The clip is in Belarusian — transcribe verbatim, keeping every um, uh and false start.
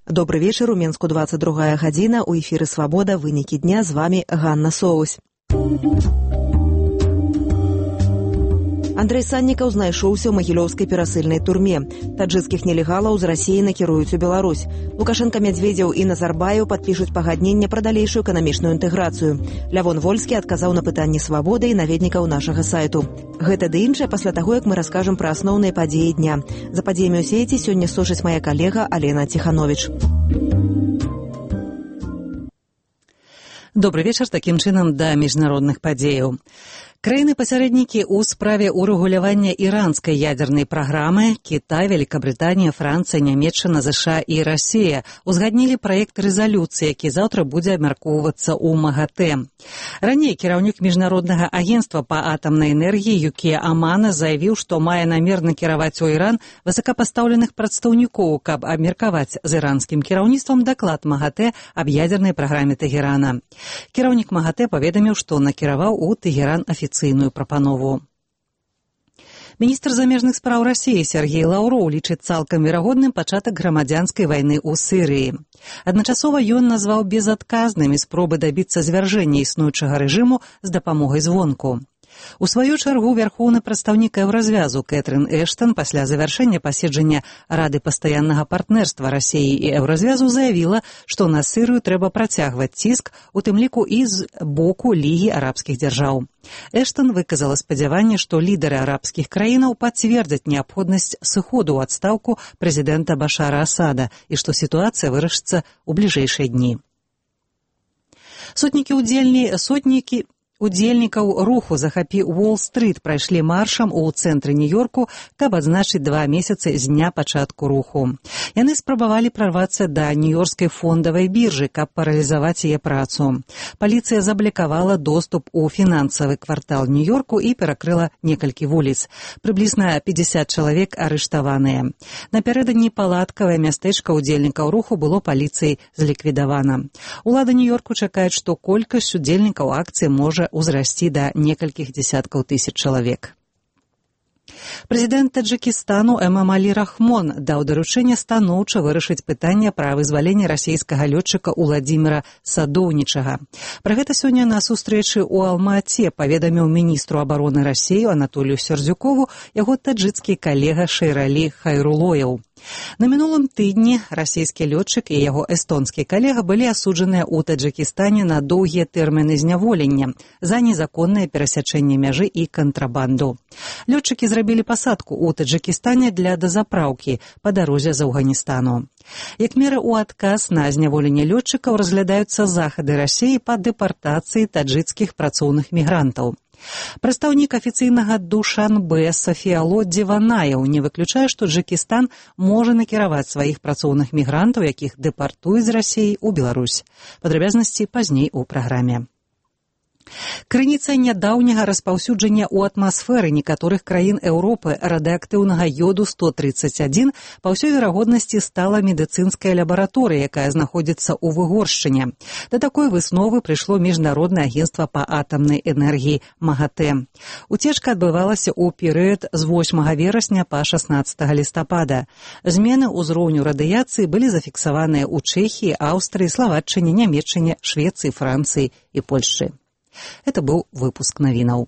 Добрый вечер, у Менску двадцать другая гадзіна, у эфіры «Свабода», вынікі дня, з вами Ганна Соусь. Андрэй Саннікаў знайшоўся ў магілёўскай перасыльнай турме. Таджыцкіх нелегалаў з Расіі накіруюць у Беларусь. Лукашенко, Медведзеў і Назарбаеў падпішуць пагадненне пра далейшую эканамічную інтэграцыю. Лявон Вольскі адказаў на пытанні «Свабоды» і наведнікаў нашага сайту. Гэта ды іншае пасля таго, як мы раскажам пра асноўныя падзеі дня. За падзеямі ў сеці сёння сочыць мая калега Алена Ціхановіч. Добрый вечар, такім чынам да міжнародных падзеяў. Краіны-пасярэднікі ў справе ўрэгулявання іранскай ядзернай праграмы Кітай, Великабрытанія, Францыя, Нямецчына, ЗША і Расія узгаднілі праект рэзалюцыі, які заўтра будзе абмяркоўвацца ў МАГАТЭ. Раней кіраўнік міжнароднага агенцтва па атамнай энергіі Юкія Амана заявіў, што мае намер накіраваць у Іран высокапастаўленых прадстаўнікоў, каб абмеркаваць з іранскім кіраўніцтвам даклад МАГАТЭ аб ядзернай праграме Тэгерана. Кіраўнік МАГАТЭ паведаміў, што накіраваў у Тэгеран афіцыйную прапанову. Міністр замежных спраў Расіі Сергей Лаўроў лічыць цалкам верагодным пачатак грамадзянскай вайны ў Сірыі. Адначасова ён назваў безадказнымі спробы дабіцца звяржэння існуючага рэжыму з дапамогай звонку. У сваю чаргу вярхоўны прадстаўнік еўразвязу Кэтрын Эштан пасля завяршэння паседжання Рады пастаяннага партнерства Расіі і еўразвязу заявіла, што на Сірыю трэба працягваць ціск, у тым ліку і з боку Лігі арабскіх дзяржаў. Эштан выказала спадзяванне, што лідары арабскіх краінаў пацвердзяць неабходнасць сыходу ў адстаўку прэзідэнта Башара Асада і што сітуацыя вырашыцца ў бліжэйшыя дні. Сотнікі удзельні, сотнікі Удзельнікаў руху «Захапі Уолл-стрыт» прайшлі маршам у цэнтры Нью-Йорку, каб адзначыць два месяцы з дня пачатку руху. Яны спрабавалі прарвацца да нью-йоркскай фондавай біржы, каб паралізаваць яе працу. Паліцыя заблакавала доступ у фінансавы квартал Нью-Йорку і перакрыла некалькі вуліц. Прыблізна пятьдесят чалавек арыштаваныя. Напярэдадні палаткавае мястэчка удзельнікаў руху было паліцыяй зліквідавана. Улады Нью-Йорку чакаюць, што колькасць удзельнікаў акцыі можа узрасці да некалькіх дзесяткаў тысяч чалавек. Прэзідэнт Таджыкістану Эмамалі Рахмон даў даручэнне станоўча вырашыць пытанне пра вызваленне расійскага лётчыка Уладзіміра Садоўнічага. Пра гэта сёння на сустрэчы ў Алма-Ате паведаміў міністру абароны Расіі Анатолію Сердзюкову яго таджыцкі калега Шэйралі Хайрулоеў. На мінулым тыдні расійскі лётчык і яго эстонскі калега былі асуджаныя ў Таджыкістане на доўгія тэрміны зняволення за незаконнае перасячэнне мяжы і кантрабанду. Лётчыкі зрабілі пасадку ў Таджыкістане для дазапраўкі па дарозе з Афганістану. Як мера ў адказ на зняволенне лётчыкаў разглядаюцца захады Расіі па дэпартацыі таджыцкіх працоўных мігрантаў. Прадстаўнік афіцыйнага Душанбе Сафіяло Дзеванаеў не выключае, што Таджыкістан можа накіраваць сваіх працоўных мігрантаў, якіх дэпартуюць з Расіі ў Беларусь. Падрабязнасці пазней у праграме. Крыніцай нядаўняга распаўсюджання ў атмасферы некаторых краін Еўропы радыеактыўнага йоду сто тридцать один па ўсёй верагоднасці стала медыцынская лабараторыя, якая знаходзіцца ў Выгоршчыне. Да такой высновы прыйшло міжнароднае агенцтва па атамнай энергіі МАГАТЭ. Уцечка адбывалася ў перыяд з восьмага верасня па шаснаццатага лістапада. Змены ўзроўню радыяцыі былі зафіксаваныя ў Чэхіі, Аўстрыі, Славаччыне, Нямецчыне, Швецыі, Францыі і Польшчы. Это был выпуск новинок.